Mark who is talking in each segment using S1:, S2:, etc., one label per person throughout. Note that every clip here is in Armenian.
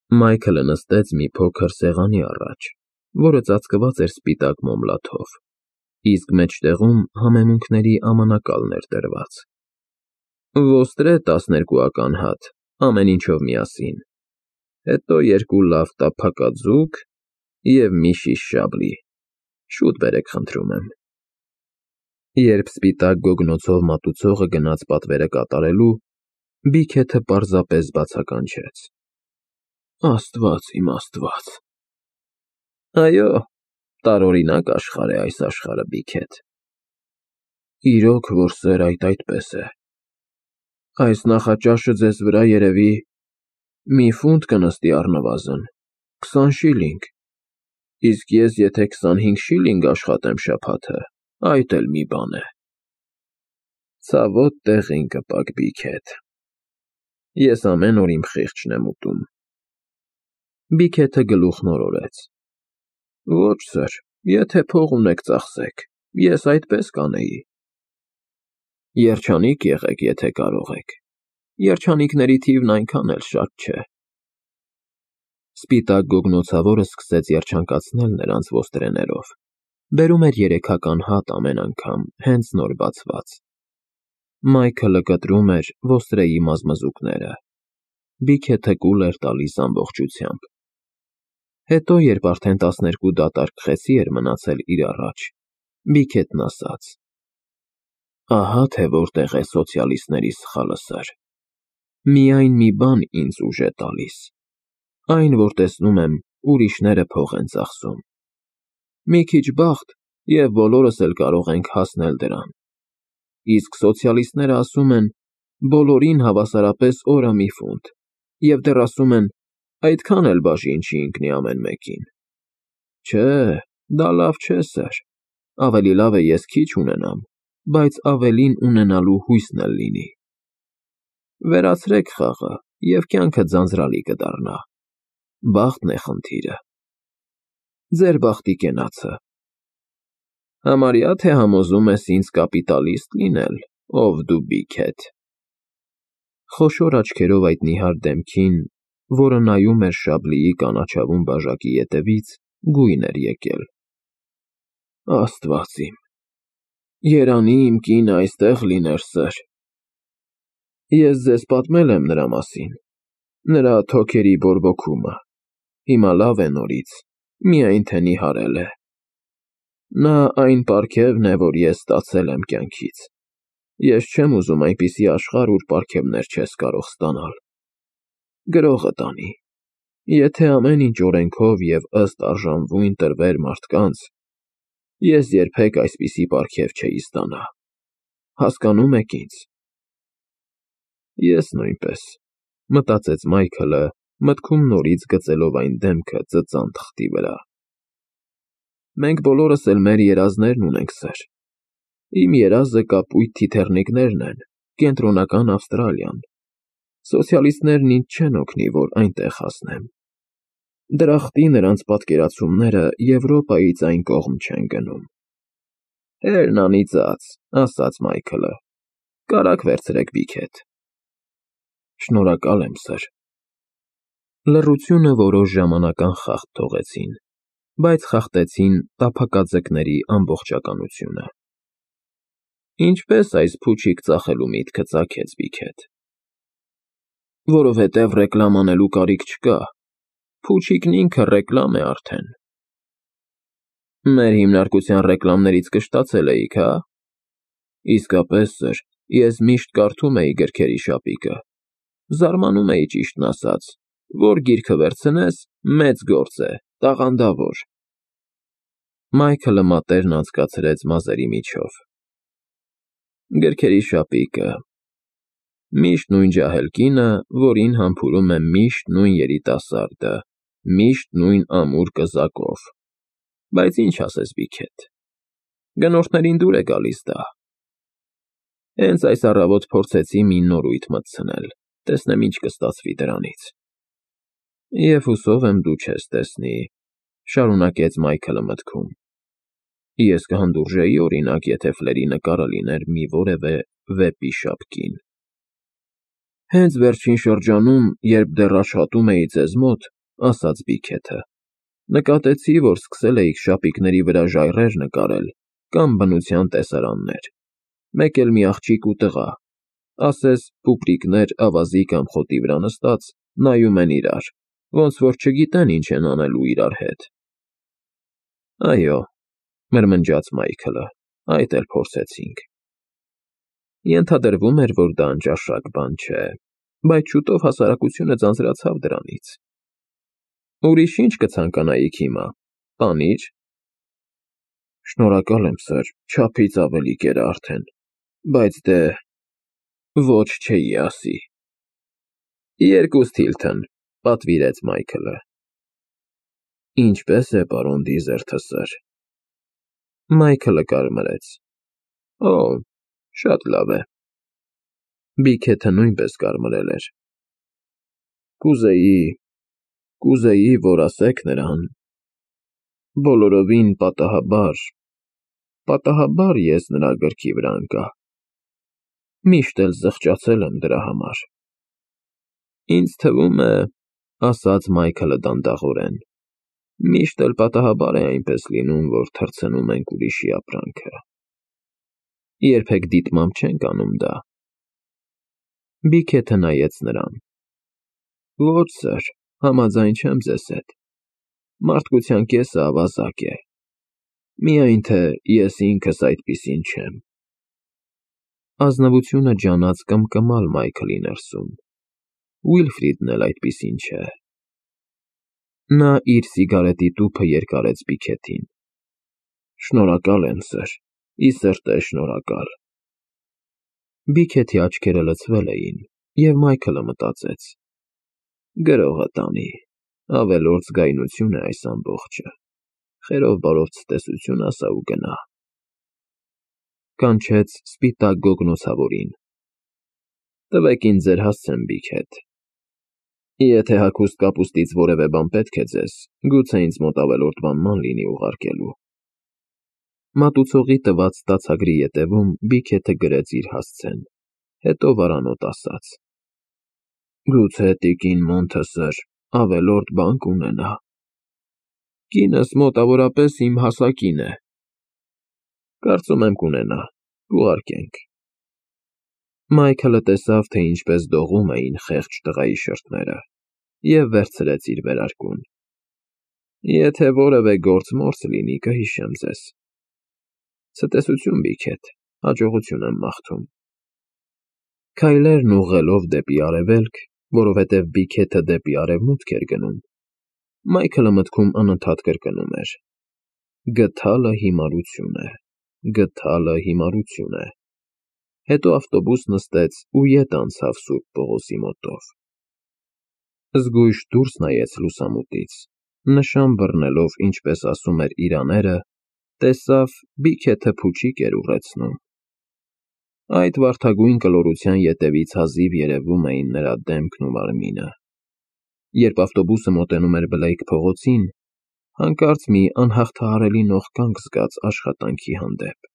S1: Մայքլը նստեց մի փոքր սեղանի առաջ, որը ծածկված էր սպիտակ մոմլաթով, իսկ մեջտեղում համեմունքների ամանակալն էր դրված։ Ոստրե 12-ական հատ, ամեն ինչով միասին, հետո 2 լավ տափակած ձուկ և մի շիշ շաբլի, շուտ բերեք խնդրում եմ։ Երբ սպիտակ գոգնոցով մատուցողը գնաց պատվերը կատարելու, Բիքեթը պարզապես բացականչեց. Աստված իմ Աստված։ Այո, տարօրինակ աշխարհ է այս աշխարհը, Բիքեթ։ Իրոք որ սեր այդպես է։ Այս նախաճաշը ձեզ վրա երևի մի ֆունտ կնստի առնվազն, 20 շիլինգ, իսկ ես եթե 25 շիլինգ աշխատեմ շաբաթը, այդ էլ մի բան է։ Ցավոտ տեղին կպաք, Բիքեթ։ Ես ամեն օր իմ խիղճն եմ ուտում։ Բիքեթը գլուխն օրորեց։ Ոչ սըր, եթե փող ունեք ծախսեք, ես այդպես կանեի։ Երջանիկ եղեք, եթե կարող եք։ Երջանիկների թիվն այնքան էլ շատ չէ։ Սպիտակ գոգնոցավորը սկսեց երջանկացնել նրանց ոստրեներով, բերում էր 3-ական հատ ամեն անգամ, հենց նոր բացված։ Մայքլը կտրում էր ոստրեի մազմզուկները։ Բիքեթը կուլ էր տալիս ամբողջությամբ։ Հետո, երբ արդեն 12 դատարկ խեցի էր մնացել իր առաջ, Բիքեթն ասաց. Ահա թե որտեղ է սոցիալիստների սխալը, սըր։ Միայն մի բան ինձ ուժ է տալիս, այն, որ տեսնում եմ, ուրիշները փող են ծախսում։ Մի քիչ բախտ, և բոլորս էլ կարող ենք հասնել դրան։ Իսկ սոցիալիստները ասում են, բոլորին հավասարապես օրը մի ֆունտ, և դեռ ասում են, այդքան էլ բաժին չի ընկնի ամեն մեկին։ Չէ, դա լավ չէ, սըր։ Ավելի լավ է ես քիչ ունենամ, բայց ավելին ունենալու հույսն էլ լինի։ Վերացրեք խաղը, և կյանքը ձանձրալի կդառնա։ Բախտն է խնդիրը։ Ձեր բախտի կենացը։ Համարյա թե համոզում ես ինձ կապիտալիստ լինել, ով դու, Բիքեթ։ Խոշոր աչքերով այդ նիհար դեմքին, որը նայում էր Շաբլիի կանաչավուն բաժակի ետևից, գույն էր եկել։ Աստված իմ, երանի իմ կինը այստեղ լիներ, սըր։ Ես ձեզ պատմել եմ նրա մասին, նրա թոքերի բորբոքումը, հիմա լավ է նորից, միայն թե նիհարել է։ Նա այն պարգևն է, որ ես ստացել եմ կյանքից։ Ես չեմ ուզում այնպիսի աշխարհ, ուր պարգևներ չես կարող ստանալ։ Գրողը տանի։ Եթե ամեն ինչ օրենքով և ըստ արժանվույն տրվեր մարդկանց, ես երբեք այսպիսի պարգև չէի ստանա։ Հասկանում եք ինձ։ Ես նույնպես, մտածեց Մայքլը, մտքում նորից գծելով այն դեմքը ծծան թղթի վրա։ Մենք բոլորս էլ մեր երազներն ունենք, սըր։ Իմ երազը կապույտ թիթեռնիկներն են, Կենտրոնական Ավստրալիան։ Սոցիալիստներն ինձ չեն օգնի, որ այնտեղ հասնեմ։ Դրախտի նրանց պատկերացումները Եվրոպայից այն կողմ չեն գնում։ Հերն անիծած, ասաց Մայքլը։ Կարագ վերցրեք, Բիքեթ։ Շնորհակալ եմ, սըր։ Լռությունը որոշ ժամանակ անխախտ թողեցին, բայց խախտեցին տափակածկների ամբողջականությունը։ Ինչպես այս փուչիկ ծախելու միտքը ծագեց, Բիքեթ։ Որովհետև ռեկլամ անելու կարիք չկա, փուչիկն ինքը ռեկլամ է արդեն։ Մեր հիմնարկության ռեկլամներից կշտացել էիք, հա։ Իսկապես, սըր, ես միշտ կարդում էի գրքերի շապիկը։ Զարմանում էի, ճիշտն ասած, որ գիրքը վերցնես, մեծ գործ է, տաղանդավոր։ Մայքլը մատներն անցկացրեց մազերի միջով։ Գրքերի շապիկը։ Միշտ նույն ջահել կինը, որին համբուրում է միշտ նույն երիտասարդը, միշտ նույն ամուր կզակով։ Բայց ինչ ասես, Բիքեթ։ Գնորդներին դուր է գալիս դա։ Հենց այս առավոտ փորձեցի մի նորույթ մտցնել, տեսնեմ ինչ կստացվի դրանից։ Եվ հուսով եմ դու չես տեսնի, շարունակեց Մայքլը մտքում։ Ես կհանդուրժեի, օրինակ, եթե Ֆլերի նկարը լիներ մի որևէ վեպի շապկին։ Հենց վերջին շրջանում, երբ դեռ աշխատում էի ձեզ մոտ, ասաց Բիքեթը։ Նկատեցի, որ սկսել էիք շապիկների վրա ժայռեր նկարել կամ բնության տեսարաններ։ Մեկ էլ մի աղջիկ ու տղա, ասես պուպրիկներ ավազի կամ խոտի վրա նստած, նայում են իրար, ոնց որ չգիտեն ինչ են անելու իրար հետ։ Այո, մրմնջաց Մայքլը, այդ էլ փորձեցինք։ Ենթադրվում էր, որ դա անճաշակ բան չէ, բայց շուտով հասարակությունը ձանձրացավ դրանից։ Ուրիշ ինչ կցանկանայիք հիմա, պանիր։ Շնորհակալ եմ, սըր, չափից ավելի կեր արդեն, բայց դե… Ոչ չէի ասի։ Երկուս Թիլթոն, պատվիրեց Մայքլը։ Ինչպե՞ս է, պարոն Դիզերթը, սըր։ Մայքլը կարմրեց։ Օ, շատ լավ է։ Բիքեթը նույնպես կարմրել էր։ Կուզեի, որ ասեք նրան… Բոլորովին պատահաբար ես նրա գրքի վրա ընկա։ Միշտ էլ զղջացել եմ դրա համար։ Ինձ թվում է, ասաց Մայքլը դանդաղորեն, միշտ էլ պատահաբար է այնպես լինում, որ թռցնում ենք ուրիշի ապրանքը։ Երբեք դիտմամբ չենք անում դա։ Բիքեթը նայեց նրան։ Ոչ, սըր, համաձայն չեմ ձեզ հետ։ Մարդկության կեսը ավազակ է։ Միայն թե ես ինքս այդպիսին չեմ։ Ազնվությունը ջանաց կմկմալ Մայքլի ներսում։ Ուիլֆրիդն էլ այդպիսին չէ։ Նա իր սիգարետի տուփը երկարեց Բիքեթին։ Շնորհակալ եմ, սըր, ի սրտե շնորհակալ։ Բիքեթի աչքերը լցվել էին, և Մայքլը մտածեց. Գրողը տանի, ավելորդ զգայունություն է այս ամբողջը, խերով բարով ցտեսություն ասա ու գնա։ Կանչեց սպիտակ գոգնոցավորին. Տվեք ինձ ձեր հասցեն, Բիքեթ։ Եթե հագուստ կապուստից որևէ բան պետք է ձեզ, գուցե ինձ մոտ ավելորդ բան ման լինի ուղարկելու։ Մատուցողի տված ստացագրի ետևում Բիքեթը գրեց իր հասցեն, հետո վարանոտ ասաց. Գուցե տիկին Մոնթը, սըր, ավելորդ բան կունենա։ Կինս մոտավորապես իմ հասակին է։ Կարծում եմ կունենա, կուղարկենք։ Մայքլը տեսավ, թե ինչպես դողում էին խեղճ տղայի շրթները, և վերցրեց իր վերարկուն։ Եթե որևէ գործ-մորց լինի, կհիշեմ ձեզ։ Ցտեսություն, Բիքեթ, հաջողություն եմ մաղթում։ Քայլերն ուղղելով դեպի արևելք, որովհետև Բիքեթը դեպի արևմուտք էր գնում, Մայքլը մտքում անընդհատ կրկնում էր. Գթալը հիմարություն է, գթալը հիմարություն է։ Հետո ավտոբուս նստեց ու ետ անցավ Սուրբ Պողոսի մոտով։ Զգույշ դուրս նայեց լուսամուտից, նշան բռնելով, ինչպես ասում էր իրաները, տեսավ Բիքեթը փուչիկ էր ուռեցնում։ Այդ վարդագույն կլորության ետևից հազիվ երևում էին նրա դեմքն ու մարմինը։ Երբ ավտոբուսը մոտենում էր Բլեյք փողոցին, հանկարծ մի անհաղթահարելի նողկանք զգաց աշխատանքի հանդեպ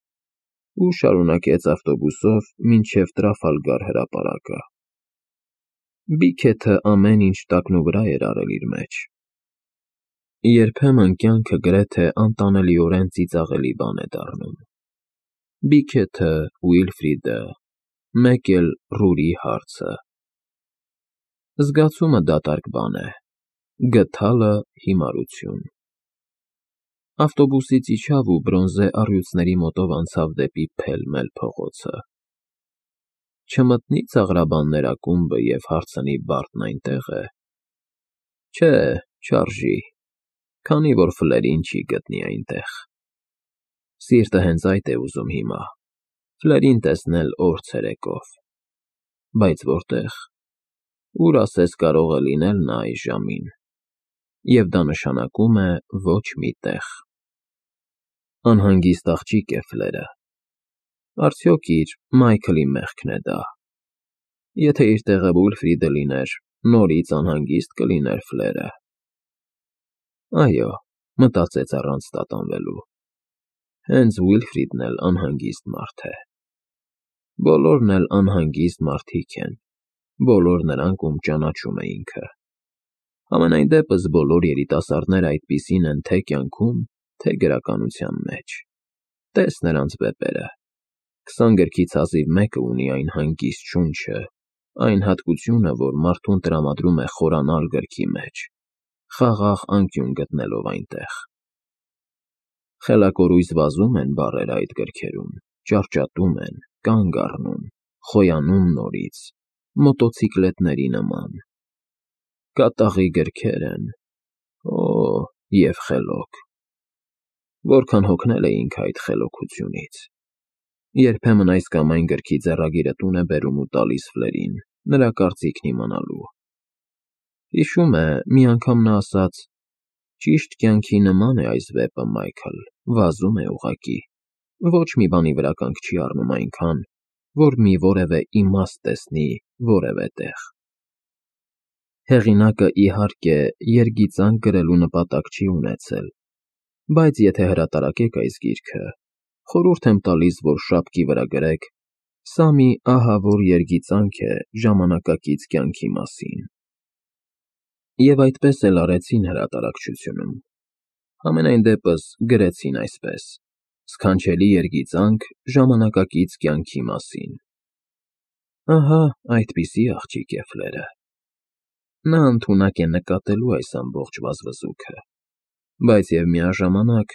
S1: ու շարունակեց ավտոբուսով մինչև Տրաֆալգար հրապարակը։ Բիքեթը ամեն ինչ տակնուվրա էր արել իր մեջ։ Երբեմն կյանքը գրեթե անտանելիորեն ծիծաղելի բան է դառնում։ Բիքեթը, Ուիլֆրիդը, մեկ էլ Ռուրի հարցը։ Զգացումը դատարկ բան է, գթալը հիմարություն։ Ավտոբուսից իջավ ու բրոնզե առյուծների մոտով անցավ դեպի Փել-Մել փողոցը։ Չմտնի ծաղրաբաններ ակումբը և հարցնի Բարտն այնտեղ է։ Չէ, չարժի, քանի որ Ֆլերին չի գտնի այնտեղ։ Սիրտը հենց այդ է ուզում հիմա, Ֆլերին տեսնել օր ցերեկով։ Բայց որտե՞ղ, ուր ասես կարող է լինել նա այս ժամին։ Եվ դա նշանակում է ոչ մի տեղ։ Անհանգիստ աղջիկ է Ֆլերը։ Արդյոք իր Մայքլի մեղքն է դա։ Եթե իր տեղը Ուիլֆրիդը լիներ, նորից անհանգիստ կլիներ Ֆլերը։ Այո, մտածեց առանց տատանվելու։ Հենց Ուիլֆրիդն էլ անհանգիստ մարդ է։ Բոլորն էլ անհանգիստ մարդիկ են, բոլոր նրանք, ում ճանաչում է ինքը։ Համենայն դեպս բոլոր երիտասարդները այդպիսին են թե կյանքում, թե գրականության մեջ։ Տես նրանց վեպերը։ 20 գրքից հազիվ մեկը ունի այն հանգիստ շունչը, այն հատկությունը, որ մարդուն տրամադրում է խորանալ գրքի մեջ, խաղաղ անկյուն գտնելով այնտեղ։ Խելակորույս վազում են բառերը այդ գրքերում, ճարճատում են, կանգ առնում, խոյանում նորից, մոտոցիկլետների նման։ Կատաղի գրքեր են, և խելոք։ Որքան հոգնել էինք այդ խելոքությունից։ Երբեմն այս կամ այն գրքի ձեռագիրը տուն է բերում ու տալիս Ֆլերին, նրա կարծիքն իմանալու։ Հիշում է, մի անգամ նա ասաց. «Ճիշտ կյանքի նման է այս վեպը, Մայքլ, վազում է ուղղակի, ոչ մի բանի վրա կանգ չի առնում այնքան, որ մի որևէ իմաստ տեսնի որևէ տեղ»։ Հեղինակը, իհարկե, երգիծանք գրելու նպատակ չի ունեցել, բայց եթե հրատարակեք այս գիրքը, խորհուրդ եմ տալիս, որ շապքի վրա գրեք. «Սա մի ահավոր երգիծանք է ժամանակակից կյանքի մասին»։ Եվ այդպես էլ արեցին հրատարակչությունում։ Համենայն դեպս գրեցին այսպես. «Սքանչելի երգիծանք ժամանակակից կյանքի մասին»։ Ահա այդպիսի աղջիկ է Ֆլերը։ Նա ընդունակ է նկատելու այս ամբողջ վազվզուքը, բայց և միաժամանակ,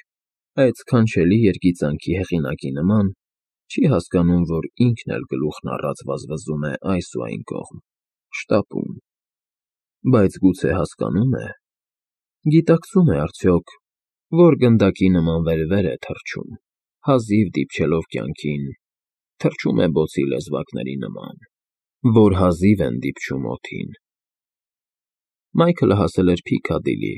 S1: այդ սքանչելի երգիծանքի հեղինակի նման, չի հասկանում, որ ինքն էլ գլուխն առած վազվզում է այս ու այն կողմ, շտապում։ Բայց գուցե հասկանում է, գիտակցում է արդյոք, որ գնդակի նման վեր-վեր է թռչում, հազիվ դիպչելով կյանքին, թռչում է բոցի լեզվակների նման, որ հազիվ են դիպչում օդին։ Մայքլը հասել էր Փիքադիլի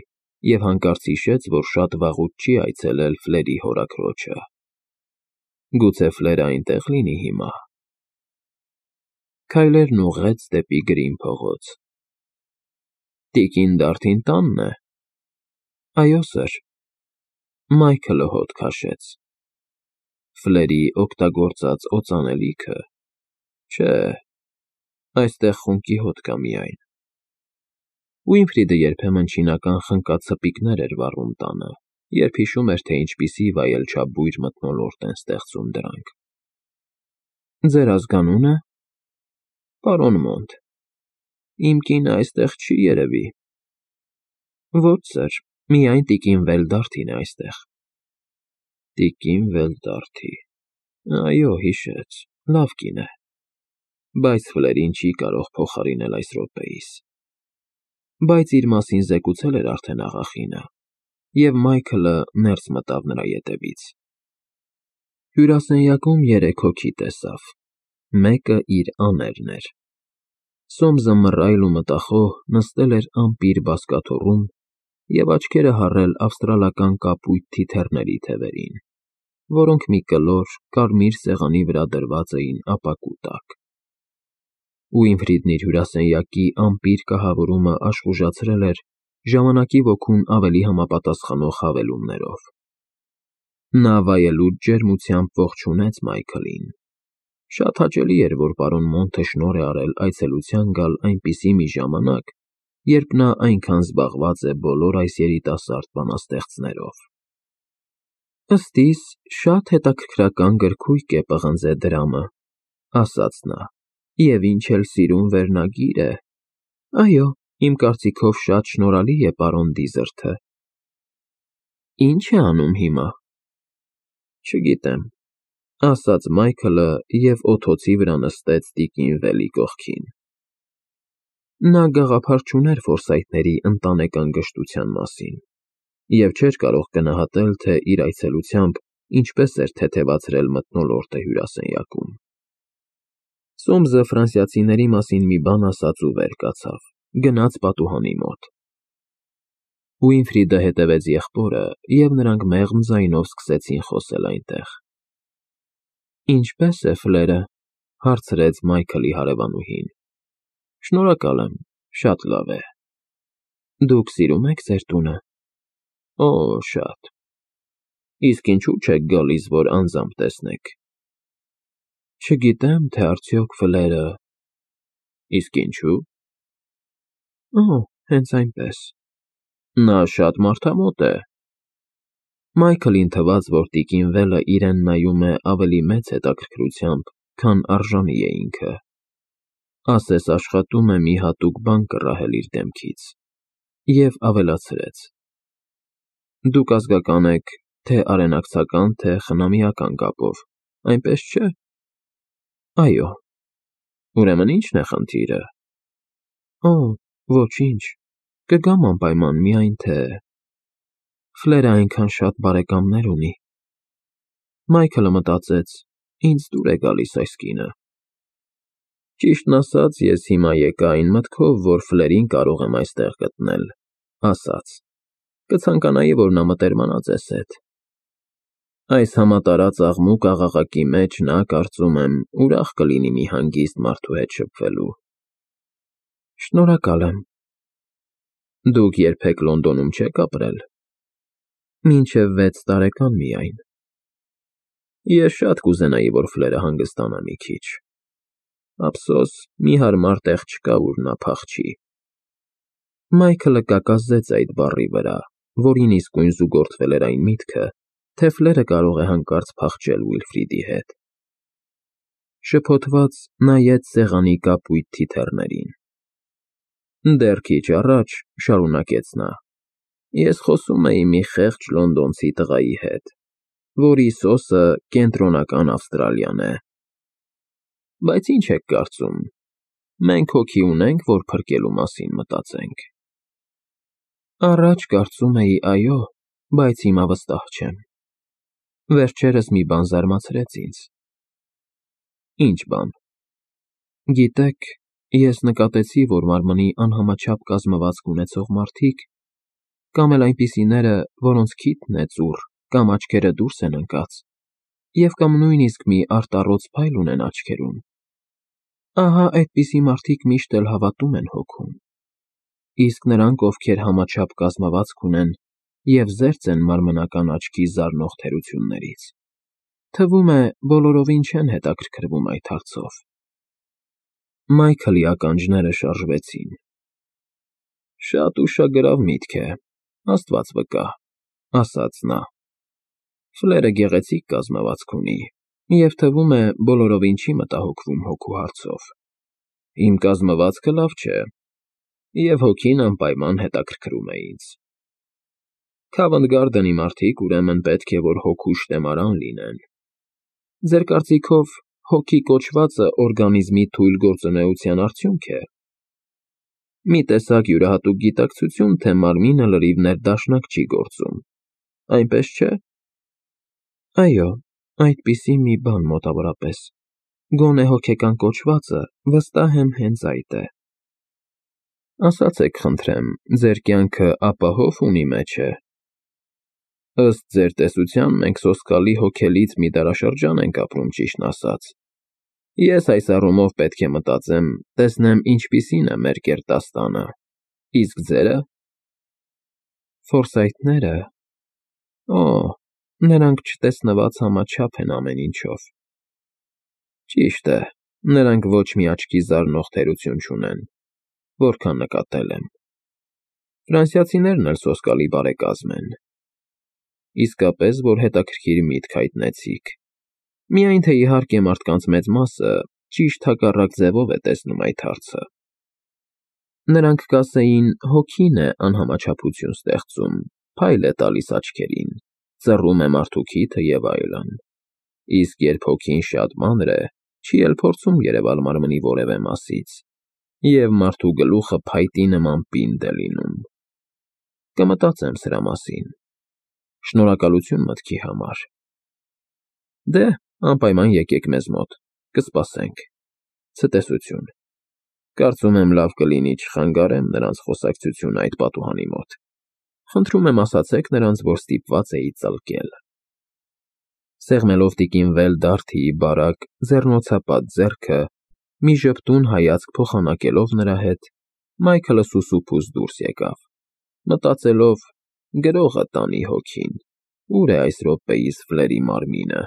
S1: և հանկարծ հիշեց, որ շատ վաղուց չի այցելել Ֆլերի հորաքրոջը։ Գուցե Ֆլերը այնտեղ լինի հիմա։ Քայլերն ուղղեց դեպի Գրին փողոց։ Տիկին Դարթին տա՞նն է։ Այո, սըր։ Մայքլը հոտ քաշեց։ Ֆլերի օգտագործած օծանելիքը։ Չէ, այստեղ խունկի հոտ կա միայն։ Ուինֆրիդը երբեմն չինական խնկա-ցպիկներ էր վառում տանը, երբ հիշում էր, թե ինչպիսի վայելչաբույր մթնոլորտ են ստեղծում դրանք։ Ձեր ազգանո՞ւնը։ Պարոն Մոնտ։ Իմ կինը այստեղ չի երևի։ Ոչ, սըր, միայն տիկին Վելդարթին է այստեղ։ Տիկին Վելդարթի։ Այո, հիշեց, լավ կին է, բայց Ֆլերին չի կարող փոխարինել այս րոպեիս։ Բայց իր մասին զեկուցել էր արդեն աղախինը, և Մայքլը ներս մտավ նրա ետևից։ Հյուրասենյակում 3 հոգի տեսավ, մեկը իր աներն էր։ Սոմսը մռայլ ու մտախոհ նստել էր ամպիր բազկաթոռում և աչքերը հառել ավստրալական կապույտ թիթեռների թևերին, որոնք մի կլոր, կարմիր սեղանի վրա դրված էին ապակու տակ։ Ուինֆրիդն իր հյուրասենյակի ամպիր կահավորումը աշխուժացրել էր ժամանակի ոգուն ավելի համապատասխանող հավելումներով։ Նա վայելուչ ջերմությամբ ողջունեց Մայքլին։ Շատ հաճելի էր, որ պարոն Մոնտը շնորհ է արել այցելության գալ այնպիսի մի ժամանակ, երբ նա այնքան զբաղված է բոլոր այս երիտասարդ բանաստեղծներով։ Ըստ իս, շատ հետաքրքրական գրքույկ է պղնձե դրամը, ասաց նա, և ինչ էլ սիրուն վերնագիր է։ Այո, իմ կարծիքով շատ շնորհալի է պարոն Դիզերթը։ Ինչ է անում հիմա։ Չգիտեմ, ասաց Մայքլը և օդոցի վրա նստեց տիկին Վելի կողքին։ Նա գաղափար չուներ Ֆորսայթների ընտանեկան գժտության մասին և չէր կարող գնահատել, թե իր այցելությամբ ինչպես էր թեթևացրել մթնոլորտը հյուրասենյակում։ Սոմսը ֆրանսիացիների մասին մի բան ասաց ու վեր կացավ, գնաց պատուհանի մոտ։ Ուինֆրիդը հետևեց եղբորը, և նրանք մեղմ ձայնով սկսեցին խոսել այնտեղ։ Ինչպե՞ս է Ֆլերը, հարցրեց Մայքլի հարևանուհին։ Շնորհակալ եմ, շատ լավ է։ Դուք սիրում եք ձեր տունը։ Օ, շատ։ Իսկ ինչու՞ չեք գալիս, որ անձամբ տեսնեք։ Չգիտեմ, թե արդյոք Ֆլերը… Իսկ ինչու՞։ հենց այնպես։ Նա շատ մարդամոտ է։ Մայքլին թվաց, որ տիկին Վելը իրեն նայում է ավելի մեծ հետաքրքրությամբ, քան արժանի է ինքը։ Ասես աշխատում է մի հատուկ բան կռահել իր դեմքից։ Եվ ավելացրեց. Դուք ազգական եք թե արենակցական, թե խնամիական կապով, այնպես չէ՞։ Այո։ Ուրեմն ի՞նչն է խնդիրը։ Օ, ոչինչ, կգամ անպայման, միայն թե… Ֆլերը այնքան շատ բարեկամներ ունի։ Մայքլը մտածեց. ինձ դուր է գալիս այս կինը։ Ճիշտն ասած, ես հիմա եկա այն մտքով, որ Ֆլերին կարող եմ այստեղ գտնել, ասաց. Կցանկանայի, որ նա մտերմանա ձեզ հետ։ Այս համատարած աղմուկ աղաղակի մեջ նա, կարծում եմ, ուրախ կլինի մի հանգիստ մարդու հետ շփվելու։ Շնորհակալ եմ։ Դուք երբեք Լոնդոնում չեք ապրել։ Մինչև 6 տարեկան միայն։ Ես շատ կուզենայի, որ Ֆլերը հանգստանա մի քիչ։ Ափսոս, մի հարմար տեղ չկա, ուր նա փախչի։ Մայքլը կակազդեց այդ բառի վրա, որին իսկույն զուգորդվել էր այն միտքը, թե Ֆլերը կարող է հանկարծ փախչել Ուիլֆրիդի հետ։ Շփոթված նայեց սեղանի կապույտ թիթեռներին։ Դեռ քիչ առաջ, շարունակեց նա, ես խոսում էի մի խեղճ լոնդոնցի տղայի հետ, որի սոսը կենտրոնական Ավստրալիան է։ Բայց ինչ եք կարծում, մենք հոգի ունենք, որ փրկելու մասին մտածենք։ Առաջ կարծում էի այո, բայց հիմա վստահ չեմ։ Վերջերս մի բան զարմացրեց ինձ։ Ինչ բան։ Գիտեք, ես նկատեցի, որ մարմնի անհամաչափ կազմվածք ունեցող մարդիկ, կամ էլ այնպիսիները, որոնց քիթն է ծուռ, կամ աչքերը դուրս են ընկած, և կամ նույնիսկ մի արտառոց փայլ ունեն աչքերում, ահա այդպիսի մարդիկ միշտ էլ հավատում են հոգուն, իսկ նրանք, ովքեր համաչափ կազմվածք ունեն և զերծ են մարմնական աչքի զարնող թերություններից, թվում է, բոլորովին չեն հետաքրքրվում այդ հարցով։ Մայքլի ականջները շարժվեցին։ Շատ ուշագրավ միտք է, Աստված վկա, ասաց նա։ Ֆլերը գեղեցիկ կազմվածք ունի, և թվում է, բոլորովին չի մտահոգվում հոգու հարցով։ Իմ կազմվածքը լավ չէ, և հոգին անպայման հետաքրքրում է ինձ։ Քավընդ Գարդենի մարդիկ ուրեմն պետք է, որ հոգու շտեմարան լինեն։ Ձեր կարծիքով, հոգի կոչվածը օրգանիզմի թույլ գործունեության արդյունք է։ Մի տեսակ յուրահատուկ գիտակցություն, թե մարմինը լրիվ ներդաշնակ չի գործում, այնպես չէ։ Այո, այդպիսի մի բան մոտավորապես, գոնե հոգեկան կոչվածը, վստահ եմ, հենց այդ է։ Ասացեք, խնդրեմ, ձեր կյանքը ապահով ունի մեջ է։ Ըստ ձեր տեսության, մենք սոսկալի հոգելից մի դարաշրջան ենք ապրում, ճիշտն ասած։ Ես այս առումով պետք է մտածեմ, տեսնեմ ինչպիսին է մեր կերտաստանը, իսկ ձերը։ Ֆորսայթները… Օ, նրանք չտեսնված համաչափ են ամեն ինչով։ Ճիշտ է, նրանք ոչ մի աչքի զարնող թերություն չունեն, որքան նկատել եմ։ Ֆրանսիացիներն էլ սոսկալի բարեկազմ են։ Իսկապես, որ հետաքրքիր միտք հայտնեցիք։ Միայն թե իհարկե մարդկանց մեծ մասը ճիշտ հակառակ ձևով է տեսնում այդ հարցը։ Նրանք կասեին, հոգին է անհամաչափություն ստեղծում, փայլ է տալիս աչքերին, ծռում է մարդու քիթը և այլն։ Իսկ երբ հոգին շատ մանր է, չի էլ փորձում երևալ մարմնի որևէ մասից, և մարդու գլուխը փայտի նման պինդ է լինում։ Կմտածեմ սրա մասին։ Շնորհակալություն մտքի համար։ Դե, անպայման եկեք մեզ մոտ, կսպասենք։ Ցտեսություն։ Կարծում եմ լավ կլինի չխանգարեմ նրանց խոսակցությունը այդ պատուհանի մոտ։ Խնդրում եմ ասացեք նրանց, որ ստիպված էի ծլկել։ Սեղմելով տիկին Վելդարթիի բարակ, ձեռնոցապատ ձեռքը, մի ժպտուն հայացք փոխանակելով նրա հետ, Մայքլը սուսուփուս դուրս եկավ, մտածելով. գրողը տանի հոգին, ուր է այս րոպեիս Ֆլերի մարմինը։